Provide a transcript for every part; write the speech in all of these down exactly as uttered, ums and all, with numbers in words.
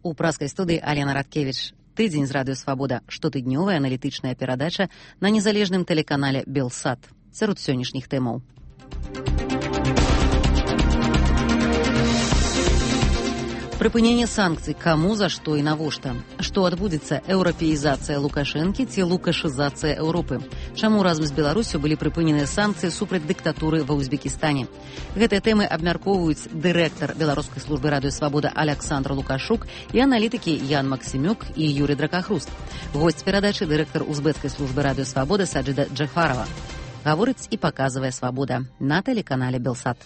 У праскай студыі Алена Радкевіч. Тыдзень з радыё «Свабода» – штотыднёвая аналітычная перадача на незалежным тэлеканале «Белсат». Сярод сённяшніх тэмаў. Прыпыненне санкцый, каму, за што і навошта? Што адбудзецца, еўрапеізацыя Лукашэнкі ці лукашызацыя Еўропы? Чаму разам з Беларусю былі прыпыненыя санкцыі супраць дыктатуры ва Узбекістане? Гэтыя тэмы абмяркоўваюць дырэктар беларускай службы радыё «Свабода» Аляксандр Лукашук і аналітыкі Ян Максімюк і Юрый Дракахруст. Госць перадачы дырэктар узбекскай службы радыё «Свабода» Саджида Джафарова. Гаворыць і паказвае «Свабода» на тэлеканале «Белсат».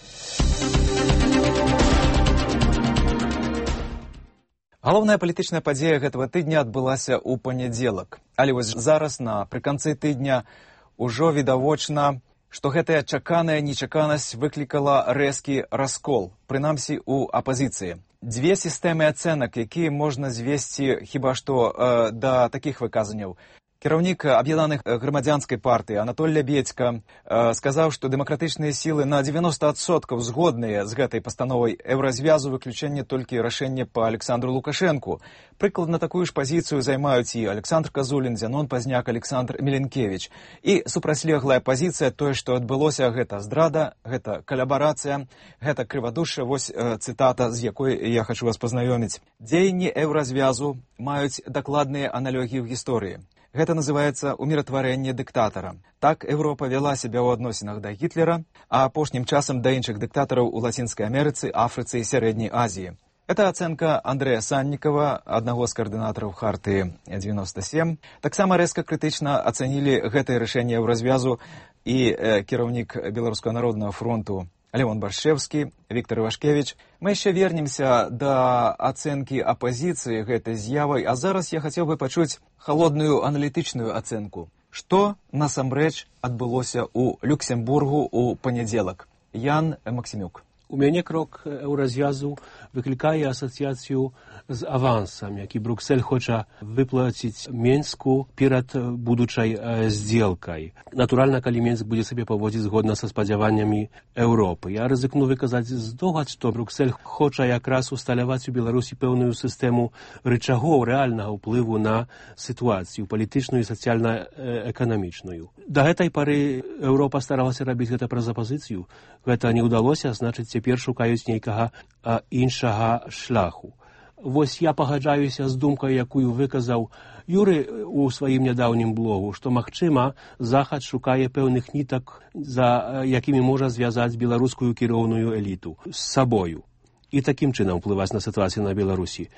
Галоўная палітычная падзея гэтага тыдня адбылася ў панядзелак. Але вось зараз, напрыканцы тыдня, ужо відавочна, што гэтая чаканая нечаканасць выклікала рэзкі раскол, прынамсі ў апазіцыі. Дзве сістэмы ацэнак, якія можна звесці хіба што э, да такіх выказанняў. Кіраўнік аб'яднаных грамадзянскай партыі Анатоль Лябедзька э, сказаў, што дэмакратычныя сілы на дзевяноста адсоткаў згодныя з гэтай пастановай еўразвязу, выключэнне толькі рашэння па Александру Лукашэнку. Прыкладна такую ж пазіцыю займаюць і Александр Казулін, Зянон Пазняк, Александр Міленкевіч. І супрацьлеглая пазіцыя, тое, што адбылося, гэта здрада, гэта калабарацыя, гэта крывадушша. Вось э, цытата, з якой я хочу вас пазнаёміць. Дзеянні еўразвязу маюць дакладныя аналогіі ў гісторыі. Гэта называецца уміратварэнне дыктатара. Так Еўропа вяла сябе ў адносінах да Гітлера, а апошнім часам да іншых дыктатараў у Лацінскай Амерыцы, Афрыцы і Сярэдняй Азіі. Это ацэнка Андрэя Саннікава, аднаго з каардынатараў Харты дзевяноста сем. Таксама рэзка крытычна ацанілі гэтае рашэнне еўразвязу і э, кіраўнік Беларускага народнага фронту Леон Баршчэўскі, Віктор Івашкевіч. Мы яшчэ вернемся да ацэнкі апазіцыі гэтай з'явай, а зараз я хацеў бы пачуць халодную аналітычную ацэнку. Што насамрэч адбылося ў Люксембургу ў панядзелак? Ян Максімюк. У мяне крок еўразвязу выклікае асацыяцыю з авансам, які Бруксель хоча выплаціць Менску перад будучай здзелкай. Натуральна, калі Менск будзе сабе паводзіць згодна са спадзяваннямі Еўропы. Я рызыкну выказаць здогад, што Бруксель хоча якраз усталяваць у Беларусі пэўную сістэму рычагоў рэальнага ўплыву на сітуацыю палітычную і сацыяльна-эканамічную. Да гэтай пары Еўропа старалася рабіць гэта праз апазіцыю. Гэта не ўдалося, значыць, цяпер шукаюць нейкага а, іншага шляху. Вось я пагаджаюся з думкай, якую выказаў Юры у сваім нядаўнім блогу, што, магчыма, Захад шукае пэўных нітак, за якімі можа звязаць беларускую кіроўную эліту з сабою і такім чынам ўплываць на сітуацыю на Беларусі.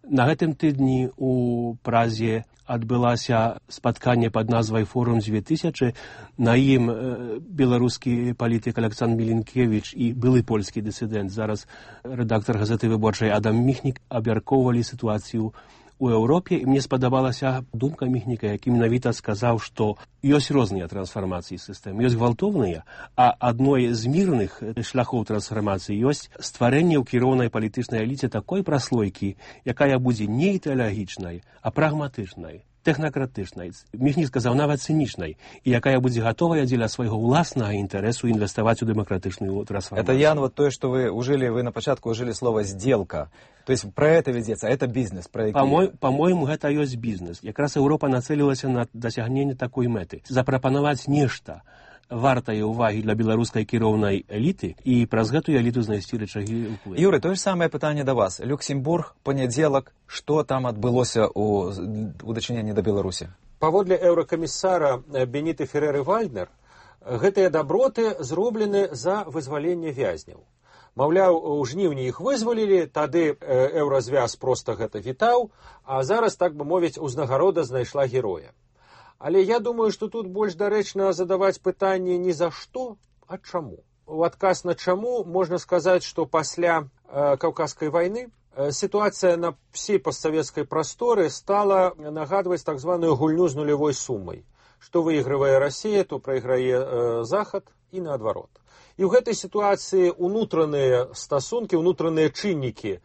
На гэтым тыдні у Празе адбылася спатканне пад назвай «Форум дзве тысячы». На ім э, беларускі палітык Александр Міленкевіч і былы польскі дысідэнт, зараз рэдактар газеты «Выборчай» Адам Міхнік абмяркоўвалі сітуацыю у Еўропе, і мне спадабалася думка Міхніка, які менавіта сказаў, што ёсць розныя трансфармацыі сістэм, ёсць гвалтоўныя, а адной з мірных шляхоў трансфармацыі ёсць стварэнне ў кіроўнай палітычнай эліце такой праслойкі, якая будзе не ідэалагічнай, а прагматычнай, тэхнакратычнай, Міхнік сказаў, нават цынічнай, і якая будзе гатовая дзеля свайго ўласнага інтарэсу інвеставаць у дэмакратычную трансфармацыю. Это, Ян, вот то, что вы ужили, вы на початку ужили слово «сделка». То есть про это ведется, это бизнес. Про... По-мо- по-моему, гэта ёсць бізнес. Якраз Еўропа нацэлілася на дасягненне такой мэты. Запрапанаваць нешта вартае ўвагі для беларускай кіроўнай эліты і праз гэтую эліту знайсці рычагі ўплыву. Юры, то же самае пытанне да вас. Люксембург, панядзелак, што там адбылося ў, у дачыненні да Беларусі? Паводле еўракамісара Беніты Ферэры-Вальднер, гэтыя даброты зроблены за вызваленне вязняў. Маўляў, у жніўні іх вызвалілі, тады еўразвяз проста гэта вітаў, а зараз, так бы мовіць, узнагарода знайшла героя. Але я думаю, што тут больш дарэчна задаваць пытанне не за што, а чаму. У адказ на чаму можна сказаць, што пасля э, Каўказскай вайны э, сітуацыя на всей постсавецкай прасторы стала нагадваць так званую гульню з нулявой сумай. Што выйгрывае Расія, то прайграе э, Захад і наадварот. І ў гэтай сітуацыі унутраныя стасункі, унутраныя чыннікі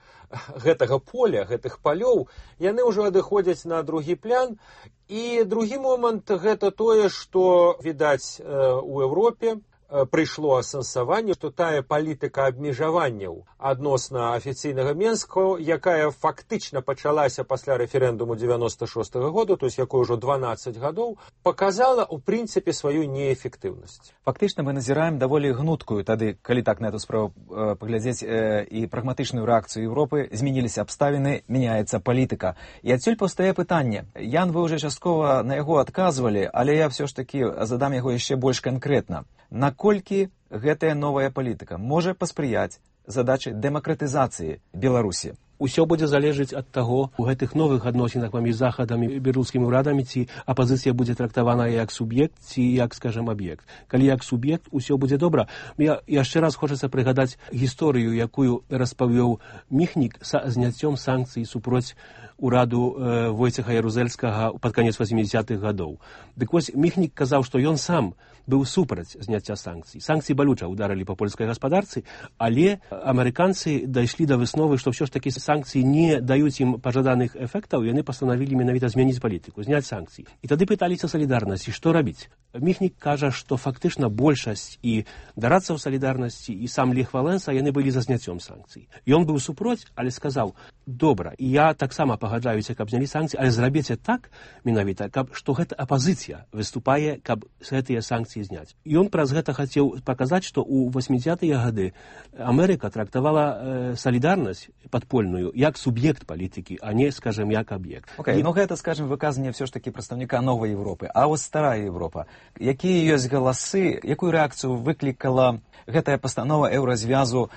гэтага поля, гэтых палёў, яны ўжо адыходзяць на другі план. І другі момант гэта тое, што, відаць, у Еўропе прыйшло асэнсаванне, што тая палітыка абмежаванняў адносна афіцыйнага Менска, якая фактычна пачалася пасля рэферэндуму девяносто шостого года, то есть якой ужо дванаццаць гадоў, показала ў прынцыпе сваю неэфектыўнасць. Фактычна мы назіраем даволі гнуткую тады, калі так на эту справу э, паглядзець э, і прагматычную рэакцыю Еўропы, змяніліся абставіны, мяняецца палітыка. І адсюль паўстае пытанне. Ян, вы ўжо часткова на яго адказвалі, але я ўсё ж такі задам яго яшчэ больш канкрэтна. Наколькі гэтая новая палітыка можа паспрыяць задачы дэмакратызацыі Беларусі? Усё будзе залежыць ад таго, у гэтых новых адносінах паміж захадам і беларускімі ўрадамі, ці апазіцыя будзе трактавана як суб'ект, ці як, скажем, аб'ект. Калі як суб'ект, усё будзе добра. Я яшчэ раз хочацца прыгадаць гісторыю, якую распавёў Міхнік са зняццём санкцый супроць ураду э, Войцеха Ярузельскага пад канец васемдзесятых гадоў. Дык вось Міхнік казаў, што ён сам быў супраць зняцця санкцый. Санкцыі балюча ударылі па польскай гаспадарцы, але амерыканцы дайшлі да высновы, што ўсё ж такі санкцыі не даюць ім пажаданых эфектаў, яны пастанавілі менавіта змяніць палітыку, зняць санкцыі. І тады пыталіся салідарнасці, што рабіць. Міхнік кажа, што фактычна большасць і дарадцаў салідарнасці, і сам Лех Валенса, яны былі за зняццём санкцый. Ён быў супроць, але сказаў: добра, і я таксама пагаджаюся, каб знялі санкцыі, але зрабіце так, менавіта, каб што гэта апазіцыя выступае, каб гэтыя санкцыі зняць. І ён праз гэта хацеў паказаць, што ў восьмідзесятыя гады Амерыка трактавала э, салідарнасць падпольную як суб'ект палітыкі, а не, скажем, як аб'ект. Окей, okay, і... ну гэта, скажем, выказанне ўсё ж такі прадстаўніка новай Европы. А вось старая Европа. Якія ёсць галасы, якую рэакцыю выклікала гэтая пастанова еўразвязу,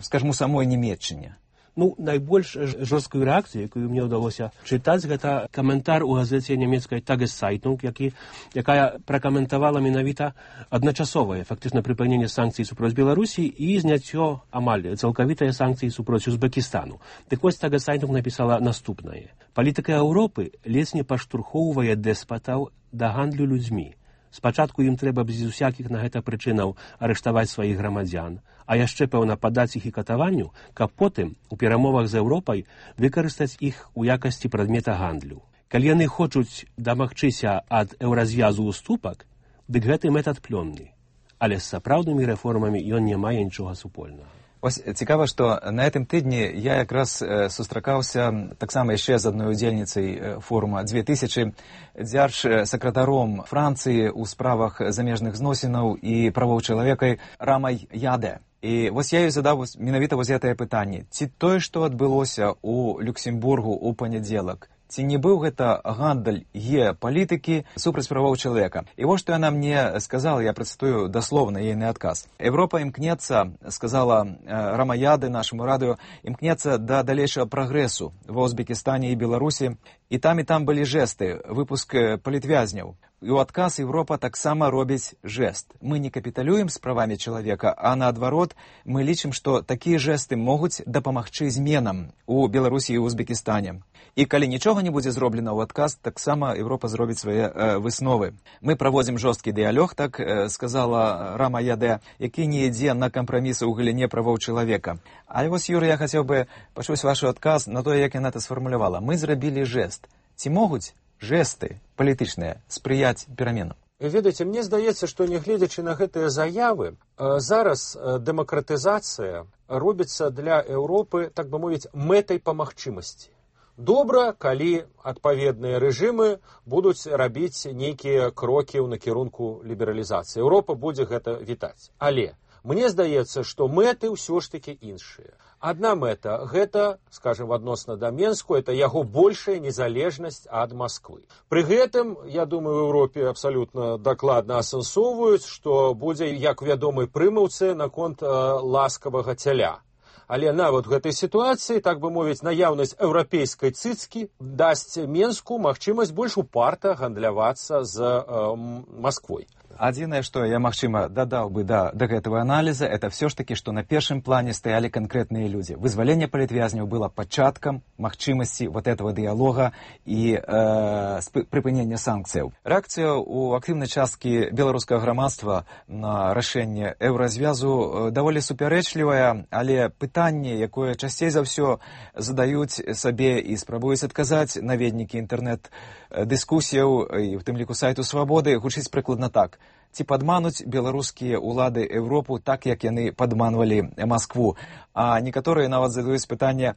скажем, у самой Нямецчыне? Ну, найбольш жорсткую рэакцыю, якую мне ўдалося чытаць, гэта каментар у газеце нямецкай Tageszeitung, які, якая пракаментавала менавіта адначасовае фактычна прыпыненне санкцый супроць Беларусі і зняццё амаль цалкавітыя санкцыі супроць Узбекістану. Дык вось Tageszeitung напісала наступнае. Палітыка Еўропы ледзь не паштурхоўвае дэспатаў да гандлю людзьмі. Спачатку ім трэба без усякіх на гэта прычынаў арыштаваць сваіх грамадзян, а яшчэ, пэўна, падаць іх і катаванню, каб потым у перамовах з Еўропай выкарыстаць іх у якасці прадмета гандлю. Калі яны хочуць дамагчыся ад еўразвязу ўступак, дык гэты метад плённы. Але з сапраўднымі рэформамі ён не мае нічога супольнага. Ось цікава, што на гэтым тыдні я якраз сустракаўся таксама яшчэ з адной удзельніцай форума две тысячы, дзярж-сакратаром Францыі ў справах замежных зносінаў і правоў чалавека Рамай Яде. І вось я ёй задаў менавіта вось гэтае пытанне. Ці тое, што адбылося ў Люксембургу ў панядзелак, ці не быў гэта гандаль геапалітыкі супраць правоў чалавека? І вось што яна мне сказала, я працытую даслоўна ейны адказ. Европа імкнецца, сказала Рама Яде нашаму радыё, імкнецца да далейшага прагрэсу ва Узбекістане і Беларусі. І там і там былі жэсты, выпуск палітвязняў. І ў адказ Европа таксама робіць жэст. Мы не капіталюем з правамі чалавека, а наадварот, мы лічым, што такія жэсты могуць дапамагчы зменам у Беларусі і ў Узбекістане. І калі нічога не будзе зроблена ў адказ, таксама Европа зробіць свае э, высновы. Мы праводзім жорсткі дыялог, так э, сказала Рама Яде, які не ідзе на кампрамісы ў галіне правоў чалавека. Але вось, Юрый, я хацеў бы пачуць ваш адказ на тое, як яна это сфармулявала. Мы зрабілі жэст. Ці могуць жэсты палітычныя спрыяць пераменам? Ведаеце, мне здаецца, што нягледзячы на гэтыя заявы, зараз дэмакратызацыя робіцца для Еўропы, так бы мовіць, мэтай па магчымасці. Добра, калі адпаведныя рэжымы будуць рабіць нейкія крокі ў накірунку лібералізацыі. Еўропа будзе гэта вітаць. Але мне здаецца, што мэты ўсё ж такі іншыя. Адна мэта – гэта, скажем, адносна да Менску, это яго большая незалежнасць ад Масквы. Пры гэтым, я думаю, в Еўропе абсалютна дакладна асэнсоўваюць, што будзе, як вядомай прымаўцы, наконт э, ласкавага цяля. Але нават у гэтай сітуацыі, так бы мовіць, наяўнасць еўрапейскай цыцкі дасць Менску магчымасць больш упарта гандлявацца з э, Масквой. Адзінае, што я, магчыма, дадаў бы да, да гэтага аналіза, это все ж таки, што на першым плане стаялі канкрэтныя людзі. Вызваленне палітвязняў было пачаткам магчымасці вот этого дыялога і э, прыпынення санкцыяў. Рэакцыя ў актыўнай часткі беларускага грамадства на рашэнне еўразвязу даволі супярэчлівая, але пытанне, якое часцей за ўсё задаюць сабе і спрабуюць адказаць наведнікі інтэрнэт дыскусіяў, і в тым ліку сайту «Свабоды», гучыць прыкладна так. Ці падмануць беларускія ўлады Еўропу так, як яны падманвалі Маскву. А некаторыя нават задаюць пытанне,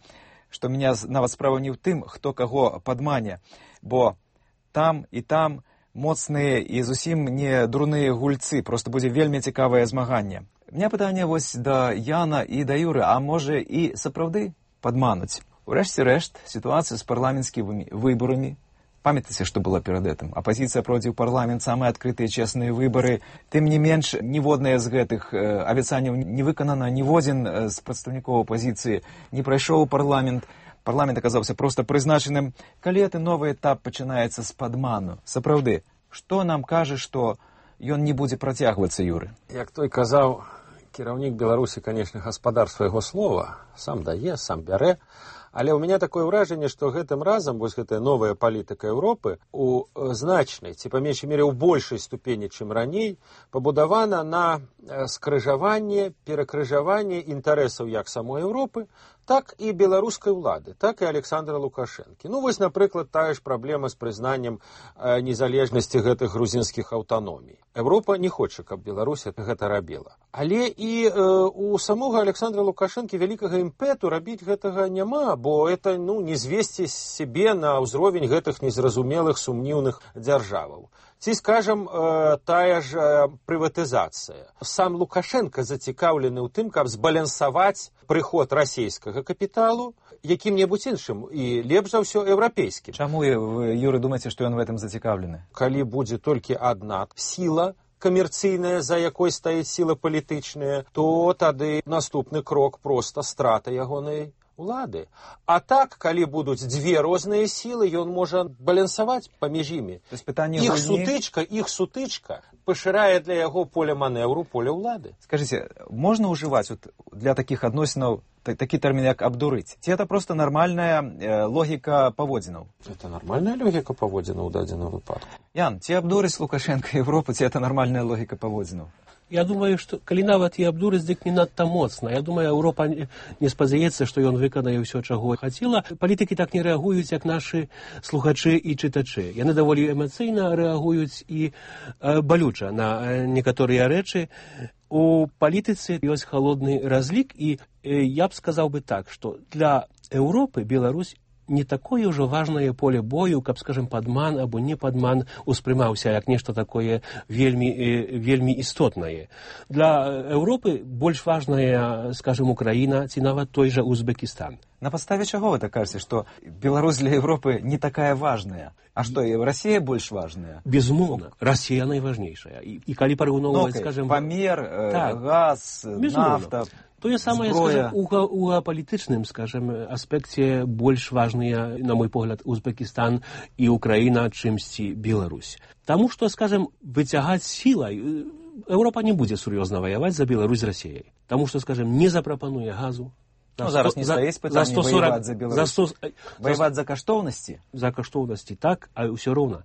што меня нават справа не ў тым, хто каго падмане, бо там і там моцныя і зусім не дурныя гульцы, проста будзе вельмі цікавае змаганне. У меня пытанне вось да Яна і да Юры, а можа і сапраўды падмануць? Урэшце рэшт, сітуацыя з парламенцкімі выбарамі. Памятаеце, што было перад гэтым? Апазіцыя пройдзе ў парламент, самыя адкрытыя чесныя выбары. Тым не менш, ніводнае з гэтых абяцанняў не выканана, ніводзін з прадстаўнікоў апазіцыі не прайшоў у парламент. Парламент аказаўся проста прызначаным. Калі гэты новы этап пачынаецца з падману? Сапраўды, што нам кажа, што ён не будзе працягвацца, Юры? Як той казаў, кіраўнік Беларусі, канешне, гаспадар свайго слова, сам дае, сам бярэ. Але ў мяне такое ўражанне, што гэтым разам вось гэтая новая палітыка Еўропы у значнай, ці па меншай мере ў большай ступені, чым раней, пабудавана на скрыжаванне, перакрыжаванне інтарэсаў як самой Еўропы, так і беларускай улады, так і Александра Лукашэнкі. Ну вось, напрыклад, тая ж праблема з прызнаннем незалежнасці гэтых грузінскіх аўтаномій. Еўропа не хоча, каб Беларусь гэта рабіла. Але і э, у самога Александра Лукашэнкі вялікага імпэту рабіць гэтага няма, бо это ну, не звесці сябе на ўзровень гэтых незразумелых сумніўных дзяржаваў. Ці, скажам, э, тая ж э, прыватызацыя. Сам Лукашенко зацікаўлены ў тым, каб збалансаваць прыход расійскага капіталу якім-небудзь іншым і лепш за ўсё еўрапейскім. Чаму вы, Юры, думаеце, што ён в этом зацікаўлены? Калі будзе толькі адна сіла камерцыйная, за якой стаіць сіла палітычная, то тады наступны крок проста страта ягонай улады. А так, калі будуць дзве розныя сілы, ён можа балансаваць паміж імі. Іх сутычка, іх сутычка пашырае для яго поля манеўру, поля ўлады. Скажыце, можна ўжываць вот, для такіх адносінаў такі тэрмін, як абдурыць? Ці это просто нармальная э, логіка паводзінаў? Это нармальная логіка паводзінаў у дадзеным выпадку. Ян, ці абдурыць Лукашенка Еўропу, ці это нармальная логіка паводзінаў? Я думаю, што калі нават і абдурыць, дык не надта моцна. Я думаю, Еўропа не спадзяецца, што ён выканае ўсё, чаго хацела. Палітыкі так не рэагуюць, як нашы слухачы і чытачы. Яны даволі эмацыйна рэагуюць і э, балюча на э, некаторыя рэчы. У палітыцы ёсць халодны разлік, і э, я б сказаў бы так, што для Еўропы Беларусь не такое ўжо важнае поле бою, каб, скажем, падман або не падман успрымаўся як нешта такое вельмі, вельмі істотнае. Для Еўропы больш важная, скажем, Украіна ці нават той жа Узбекістан. На падставе чаго вы так кажаце, што Беларусь для Еўропы не такая важная? А што, і Расія больш важная? Безумоўна, Расія найважнейшая. І, і калі параўноўваць, ну, скажем... Памер, э, так, газ, нафта... Тое самае, скажем, у, у геапалітычным, скажем, аспекце больш важныя, на мой погляд, Узбекістан і Украіна, чымсьці Беларусь. Таму што, скажем, выцягаць сілай, Еўропа не будзе сур'ёзна ваяваць за Беларусь з Расіяй. Таму што, скажем, не запрапануе газу. Ну, зараз не стаіць пытанне ваяваць за Беларусь. За сто, ваяваць за каштоўнасці? За каштоўнасці, так, а ўсё роўна.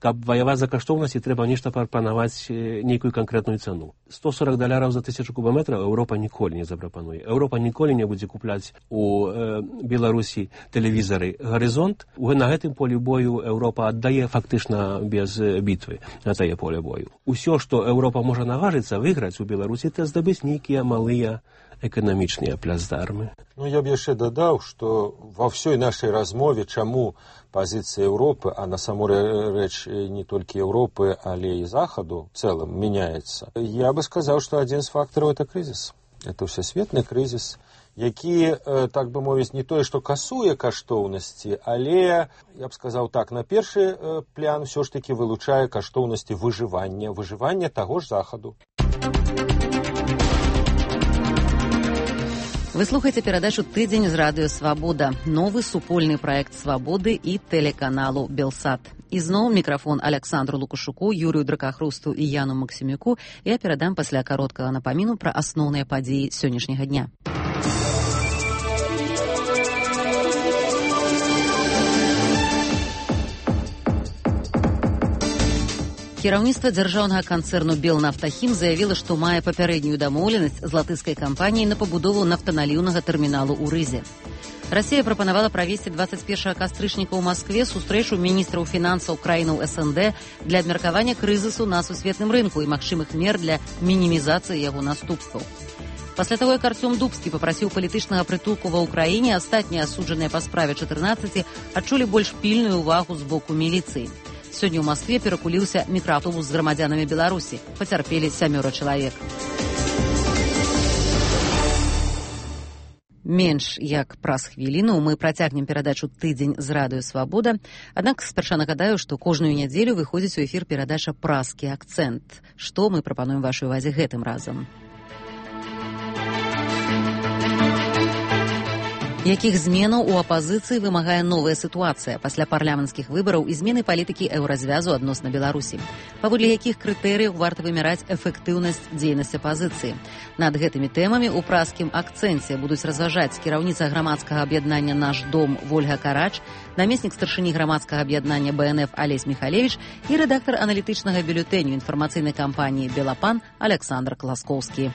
Каб ваяваць за каштоўнасці, трэба нешта прапанаваць нейкую канкрэтную цану. сто сорок даляраў за тысячу кубометраў Еўропа ніколі не запрапануе. Еўропа ніколі не будзе купляць у э, Беларусі тэлевізары «Гарызонт». На гэтым полі бою Еўропа аддае фактычна без бітвы на тае поле бою. Усё, што Еўропа можа наважыцца выйграць у Беларусі, это здабыць нейкія малыя эканамічныя плацдармы. Ну, я б яшчэ дадаў, што ва ўсёй нашай размове, чаму пазіцыя Еўропы, а на саму рэч не толькі Еўропы, але і Захаду в цэлым мяняецца. Я бы сказаў, што адзін з фактараў – это крызіс. Это ўсесветны крызіс, які, так бы мовіць, не тое, што касуе каштоўнасці, але, я б сказаў так, на першы план ўсё ж такі вылучае каштоўнасці выжывання, выжывання таго ж Захаду. Вы слухаеце перадачу «Тыдзень» з радыё «Свабода», новы супольны праект «Свабоды» і тэлеканалу «Белсат». І зноў мікрафон Александру Лукашуку, Юрію Дракахрусту і Яну Максімюку я перадам пасля кароткага напаміну пра асноўныя падзеі сённяшняга дня. Кіраўніцтва дзяржаўнага канцэрну «Белнафтахім» заявіла, што мае папярэднюю дамоўленасць з латышскай кампаніяй на пабудову нафтаналіўнага тэрміналу ў Рызе. Расія прапанавала правесці двадцать першага кастрычніка ў Маскве сустрэчу міністраў фінансаў краінаў СНД для абмеркавання крызісу на сусветным рынку і магчымых мер для мінімізацыі яго наступстваў. Пасля таго, як Артём Дубскі папрасіў палітычнага прытулку ва ўкраіне, астатнія асуджаныя па справе чатырнаццаці адчулі больш пільную ўвагу з боку міліцыі. Сёння ў Маскве перакуліўся мікрааўтобус з грамадзянамі Беларусі. Пацярпелі сямёра чалавек. Менш як праз хвіліну мы працягнем перадачу «Тыдзень з радыё Свабода». Аднак спярша нагадаю, што кожную нядзелю выходзіць у эфір перадача «Празкі акцэнт». Што мы прапануем вашай увазе гэтым разам? Якіх зменаў у апазіцыі вымагае новая сітуацыя пасля парламенцкіх выбараў і змены палітыкі еўразвязу адносна Беларусі? Паводле якіх крытэрыяў варта вымяраць эфектыўнасць дзейнасці апазіцыі? Над гэтымі тэмамі ў празкім акцэнце будуць разважаць кіраўніца грамадскага аб'яднання «Наш дом» Вольга Карач, намеснік старшыні грамадскага аб'яднання Бэ Эн Эф Алесь Міхалевіч і рэдактар аналітычнага бюлетэню інфармацыйнай кампаніі «Белапан» Александр Класкоўскі.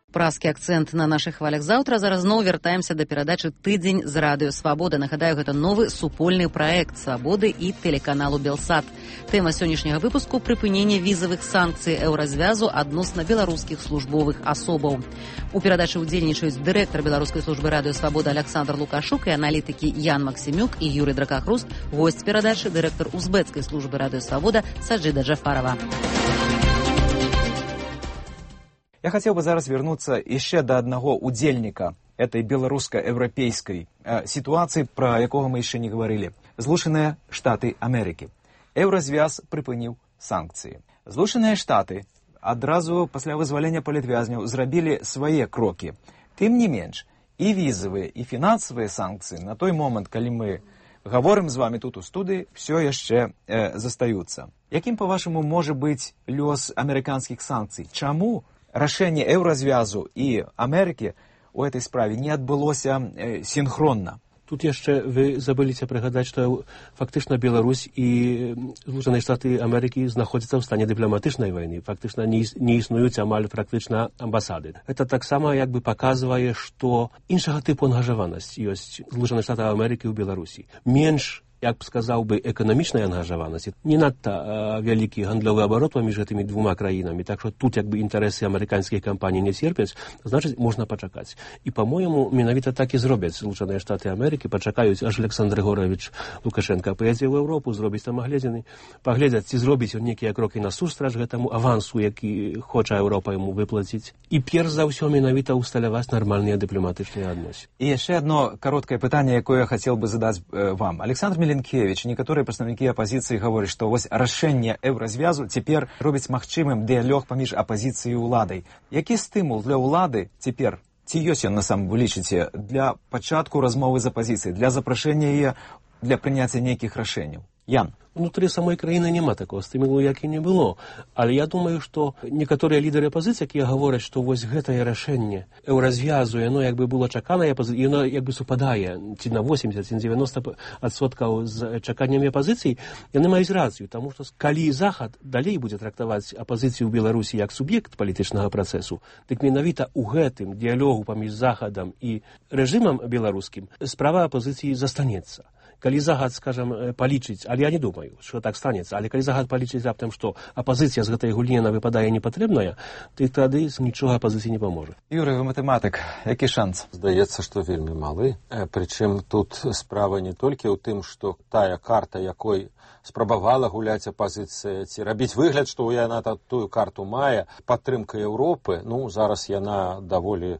Празкі акцэнт на нашых хвалях заўтра. Зараз зноў вяртаемся да перадачы «Тыдзень з радыё Свабода». Нагадаю, гэта новы супольны праект Свабоды і тэлеканалу Белсат. Тэма сённяшняга выпуску – прыпыненне візавых санкцый еўразвязу адносна беларускіх службовых асобаў. У перадачы ўдзельнічаюць дырэктар беларускай службы радыё Свабода Александр Лукашук і аналітыкі Ян Максімюк і Юрый Дракахруст, госць перадачы дырэктар узбэцкай службы радыё Свабода Саджида Джафарова. Я хотел бы зараз вернуться еще до одного удельника этой белорусско-европейской э, ситуации, про якого мы еще не говорили. Злученные Штаты Америки. Еўразвяз припыніў санкции. Злученные Штаты адразу пасля вызвалення палітвязняў зрабілі свае крокі. Тым не менш, і візавыя, і фінансавыя санкцыі на той момант, калі мы говорим з вами тут у студыі, все яшчэ э, застаюцца. Якім, по-вашаму, можа быць лёс амерыканскіх санкцый? Чаму рашэнне еўразвязу і Амерыкі у этой справе не адбылося э, синхронна? Тут яшчэ вы забыліся прыгадаць, што фактычна Беларусь і Злучаныя Штаты Амерыкі знаходзяцца ў стане дыпламатычнай вайны. Фактычна не, не існуюць амаль практычна амбасады. Это таксама як бы паказвае, што іншага тыпу ангажаванасць ёсць Злучаных Штатаў Амерыкі ў Беларусі. Менш, як б сказаў бы, эканамічнай ангажаванасці, не надта а, вялікі гандлёвы абарот паміж гэтымі двума краінамі, так што тут як бы інтарэсы амерыканскіх кампаній не церпяць, значыць, можна пачакаць. І, па-моему, менавіта так і зробяць Злучаныя Штаты Амерыкі, пачакаюць, аж Александр Григорович Лукашенко паедзе ў Еўропу, зробіць там агледзіны, паглядзяць, ці зробіць ён нейкія крокі насустрач гэтаму авансу, які хоча Еўропа яму выплаціць. І перш за ўсё менавіта ўсталяваць нармальныя дыпламатычныя адносіны. І яшчэ одно кароткае пытанне, якое я хацеў бы задаць э, вам. Александр Міленкевич, некаторыя прадстаўнікі апазіцыі гавораць, што вось рашэнне еўразвязу цяпер робіць магчымым дыялог паміж апазіцыяй і ўладай. Які стымул для ўлады цяпер, ці ёсць ён насамрэч, вы лічыце, для пачатку размовы з апазіцыяй, для запрашэння яе, для прыняцця нейкіх рашэнняў? Ян. Внутры самой краіны няма такого стымулу, як і не было. Але я думаю, што некаторыя лідары апазіцыі, якія гавораць, што вось гэтае рашэнне еўразвязу, яно як бы было чаканае, яно як бы супадае ці на восемьдесят, ці на девяносто адсоткаў з чаканнямі апазіцыі, яны маюць рацыю, таму што калі Захад далей будзе трактаваць апазіцыю ў Беларусі як суб'ект палітычнага працэсу, дык менавіта ў гэтым дыялогу паміж Захадам і рэжымам беларускім справа апазіцыі застанецца. Калі Захад, скажем, палічыць, але я не думаю, што так станецца, але калі Захад палічыць раптам, што апазіцыя з гэтай гульні яна выпадае непатрэбная, то тады нічога апазіцыі не паможа. Юрый, вы матэматык, які шанс? Здаецца, што вельмі малы. Прычым тут справа не толькі ў тым, што тая карта, якой спрабавала гуляць апазіцыя, ці рабіць выгляд, што яна тую карту мае, падтрымка Еўропы, ну, зараз яна даволі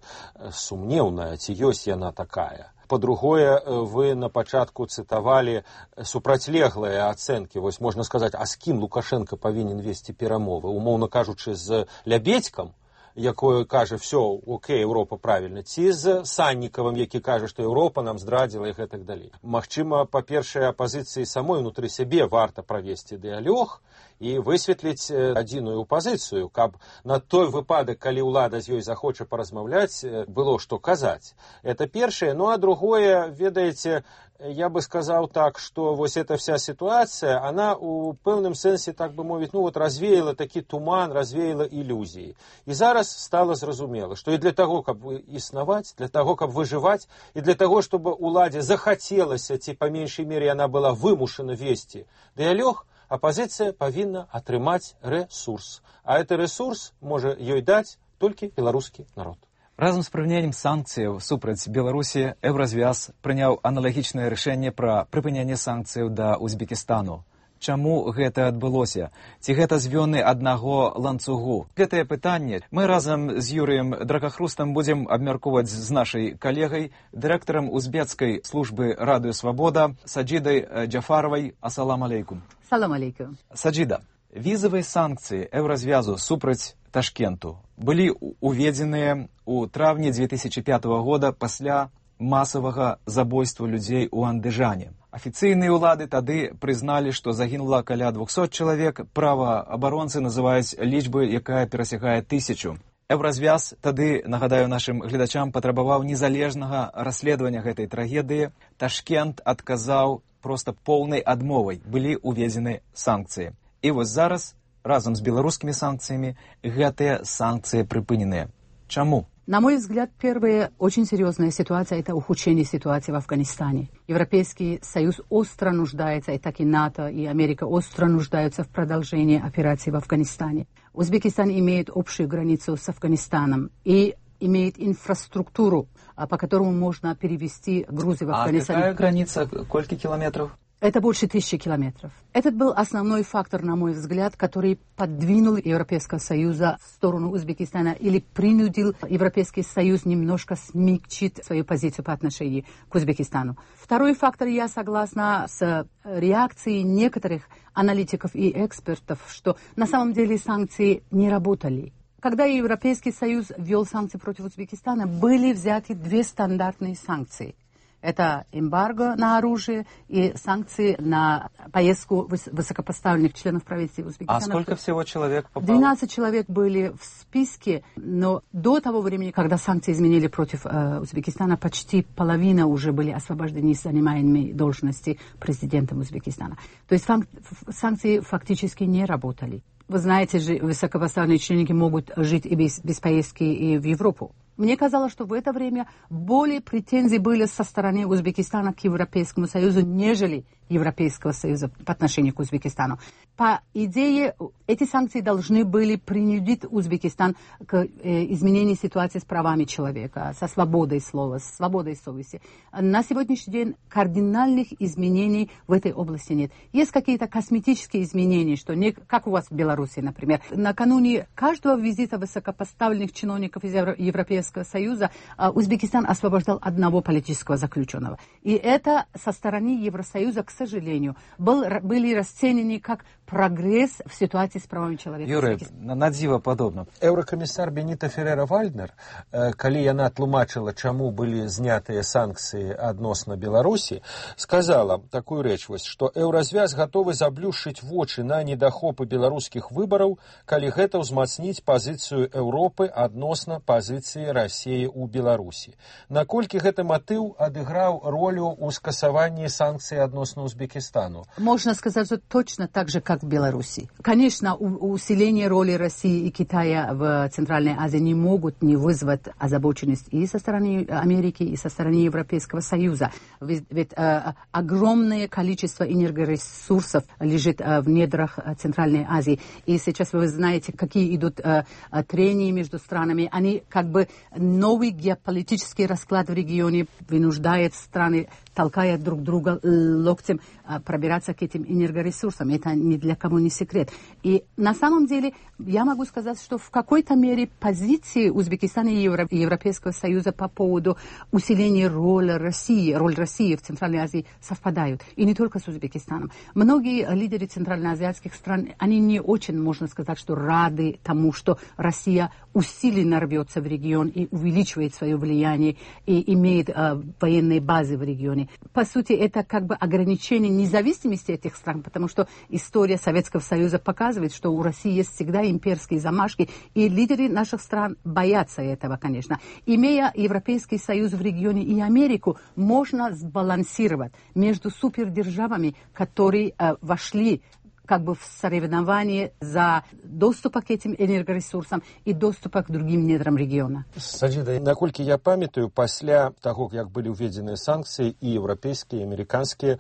сумнеўная, ці ёсць яна такая. По-другое, вы на пачатку цытавалі супрацьлеглыя ацэнкі. Вось можна сказаць, а з кім Лукашенко павінен весці перамовы? Умоўна кажучы, з Лябедзькам, якое кажа, все, окей, Еўропа правільна, ці з Саннікавым, які кажа, што Еўропа нам здрадзіла і гэтак далей. Магчыма, па-першае, апазіцыі самой унутры сябе варта правесці дыялог і высветліць адзіную пазіцыю, каб на той выпадак, калі ўлада з ёй захоча паразмаўляць, было што казаць. Это першае. Ну, а другое, ведаеце, я бы сказал так, что вот эта вся ситуация, она у певном сенсе, так бы мовить, ну вот развеяла такий туман, развеяла иллюзии. И зараз стало зразумело, что и для того, чтобы исновать, для того, чтобы выживать, и для того, чтобы уладе захотелось, ці, по меньшей мере, она была вымушена вести диалог, оппозиция повинна атрымать ресурс. А этот ресурс может ей дать только белорусский народ. Разам з прыгненнем санкцыяў супраць Беларусі Еўразвяз прыняў аналагічнае рашэнне пра прыпыненне санкцыяў да Узбекістану. Чаму гэта адбылося? Ці гэта звёны аднаго ланцугу? Гэтае пытанне мы разам з Юрыем Дракахрустам будзем абмяркоўваць з нашай калегай, дырэктарам узбецкай службы Радыё Свабода Саджідай Джафаровай. Ассалам алейкум. Салам алейкум. Саджіда, візавыя санкцыі Еўразвязу супраць Ташкенту былі уведзеныя ў траўні дзве тысячы пятага года пасля масавага забойства людзей у Андыжане. Афіцыйныя ўлады тады прызналі, што загінула каля двухсот чалавек, праваабаронцы называюць лічбы, якая перасягае тысячу. Еўразвяз тады, нагадаю нашым гледачам, патрабаваў незалежнага расследавання гэтай трагедыі. Ташкент адказаў проста поўнай адмовай. Былі уведзены санкцыі. І вось зараз разом с белорусскими санкциями гэтые санкции припыненные. Чему? На мой взгляд, первая очень серьезная ситуация – это ухудшение ситуации в Афганистане. Европейский Союз остро нуждается, и так и НАТО, и Америка остро нуждаются в продолжении операции в Афганистане. Узбекистан имеет общую границу с Афганистаном и имеет инфраструктуру, по которому можно перевести грузы в Афганистан. А какая граница? Сколько километров? Это больше тысячи километров. Этот был основной фактор, на мой взгляд, который подвинул Европейский Союз в сторону Узбекистана или принудил Европейский Союз немножко смягчить свою позицию по отношению к Узбекистану. Второй фактор, я согласна с реакцией некоторых аналитиков и экспертов, что на самом деле санкции не работали. Когда Европейский Союз ввел санкции против Узбекистана, были взяты две стандартные санкции. Это эмбарго на оружие и санкции на поездку высокопоставленных членов правительства Узбекистана. А сколько всего человек попало? двенадцать человек были в списке, но до того времени, когда санкции изменили против э, Узбекистана, почти половина уже были освобождены с занимаемой должности президентом Узбекистана. То есть фан- санкции фактически не работали. Вы знаете же, высокопоставленные чиновники могут жить и без, без поездки и в Европу. Мне казалось, что в это время более претензий были со стороны Узбекистана к Европейскому Союзу, нежели Европейского Союза по отношению к Узбекистану. По идее, эти санкции должны были принудить Узбекистан к э, изменению ситуации с правами человека, со свободой слова, с свободой совести. На сегодняшний день кардинальных изменений в этой области нет. Есть какие-то косметические изменения, что не, как у вас в Беларуси, например. Накануне каждого визита высокопоставленных чиновников из Европейского Союза Узбекистан освобождал одного политического заключенного. И это со стороны Евросоюза, к сожалению, был, были расценены как прогресс в ситуации с правами человека. Юрий, на дзіва падобна. Еўракамісар Беніта Ферера-Вальднер, калі яна тлумачыла, чаму былі знятыя санкцыі адносна Беларусі, сказала такую рэч, што Еўразвяз гатовы заблюшчыць вочы на недахопы беларускіх выбараў, калі гэта ўзмацніць пазіцыю Еўропы адносна пазіцыі Расіі ў Беларусі. Наколькі гэты матыў адыграў ролю ў скасаванні санкцый адносна Узбекистану? Можно сказать, что точно так же, как в Беларуси. Конечно, усиление роли России и Китая в Центральной Азии не могут не вызвать озабоченность и со стороны Америки, и со стороны Европейского Союза. Ведь, ведь э, огромное количество энергоресурсов лежит э, в недрах э, Центральной Азии. И сейчас вы знаете, какие идут э, трения между странами. Они как бы новый геополитический расклад в регионе вынуждает страны, толкая друг друга локтем, пробираться к этим энергоресурсам. Это ни для кого не секрет. И на самом деле я могу сказать, что в какой-то мере позиции Узбекистана и Евро- Европейского Союза по поводу усиления роли России, роль России в Центральной Азии совпадают. И не только с Узбекистаном. Многие лидеры центральноазиатских стран, они не очень, можно сказать, что рады тому, что Россия усиленно рвется в регион и увеличивает свое влияние и имеет э, военные базы в регионе. По сути, это как бы ограничение обеспечения независимости этих стран, потому что история Советского Союза показывает, что у России есть всегда имперские замашки, и лидеры наших стран боятся этого, конечно. Имея Европейский Союз в регионе и Америку, можно сбалансировать между супердержавами, которые э, вошли как бы в соревновании за доступ к этим энергоресурсам и доступ к другим недрам региона. Саджида, наколькі я памятаю, пасля таго, як былі ўведзеныя санкцыі і еўрапейскія, і амерыканскія,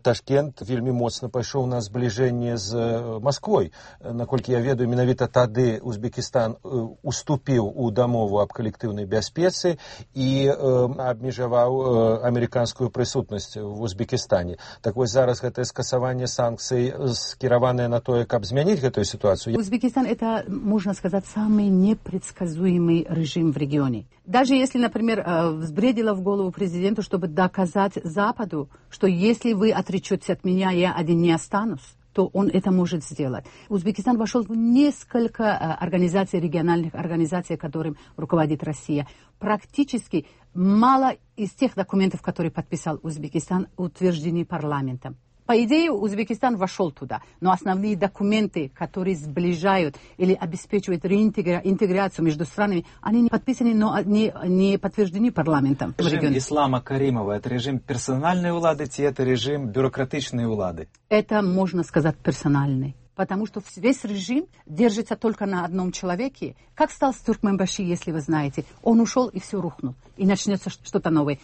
Ташкент вельмі моцна пайшоў на збліжэнне з Масквой. Наколькі я ведаю, менавіта тады Узбекістан уступіў у дамову аб калектыўнай бяспецы і абмежаваў амерыканскую прысутнасць в Узбекістане. Так вось зараз гэтае скасаванне санкцый скіраваныя на тое, каб змяніць гэтую ситуацию. Узбекистан — это, можно сказать, самый непредсказуемый режим в регионе. Даже если, например, взбредило в голову президенту, чтобы доказать Западу, что если вы отречетесь от меня, я один не останусь, то он это может сделать. Узбекистан вошел в несколько организаций, региональных организаций, которым руководит Россия. Практически мало из тех документов, которые подписал Узбекистан, утверждены парламентом. По идее, Узбекистан вошел туда, но основные документы, которые сближают или обеспечивают реинтеграцию между странами, они не подписаны, но не, не подтверждены парламентом. Режим Ислама Каримова – это режим персональной улады, или это режим бюрократичной улады? Это, можно сказать, персональный. Потому что весь режим держится только на одном человеке. Как стал с Туркменбаши, если вы знаете? Он ушел, и все рухнул. И начнется что-то новое.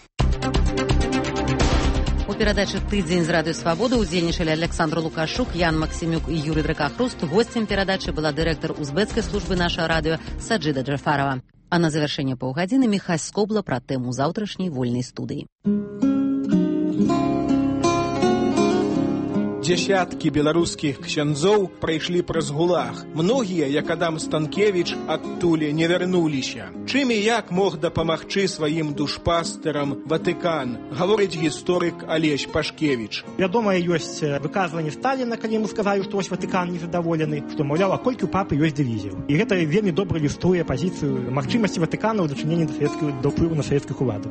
У перадачы «Тыдзень» з радыё «Свабода» удзельнічалі Александр Лукашук, Ян Максимюк і Юрий Дракахруст. Гостем перадачы была дырэктар узбекскай службы нашага радыё Саджида Джафарова. А на завяршэнне паўгадзіны Міхась Скобла пра тэму заўтрашняй вольнай студыі. Дзясяткі беларускіх ксяндзоў прайшлі праз гулаг. Многія, як Адам Станкевіч, адтуль не вярнуліся. Чым і як мог дапамагчы сваім душпастарам Ватыкан, гаворыць гісторык Алесь Пашкевіч. Вядома, ёсць выказванне Сталіна, калі ему сказалі, што вось Ватыкан незадаволены, што, маўляў, а колькі ў папы ёсць дывізіяў. І гэта вельмі добра ілюструе пазіцыю магчымасці Ватыкана ў дачыненні да савецкай, да ўплыву на савецкіх уладаў.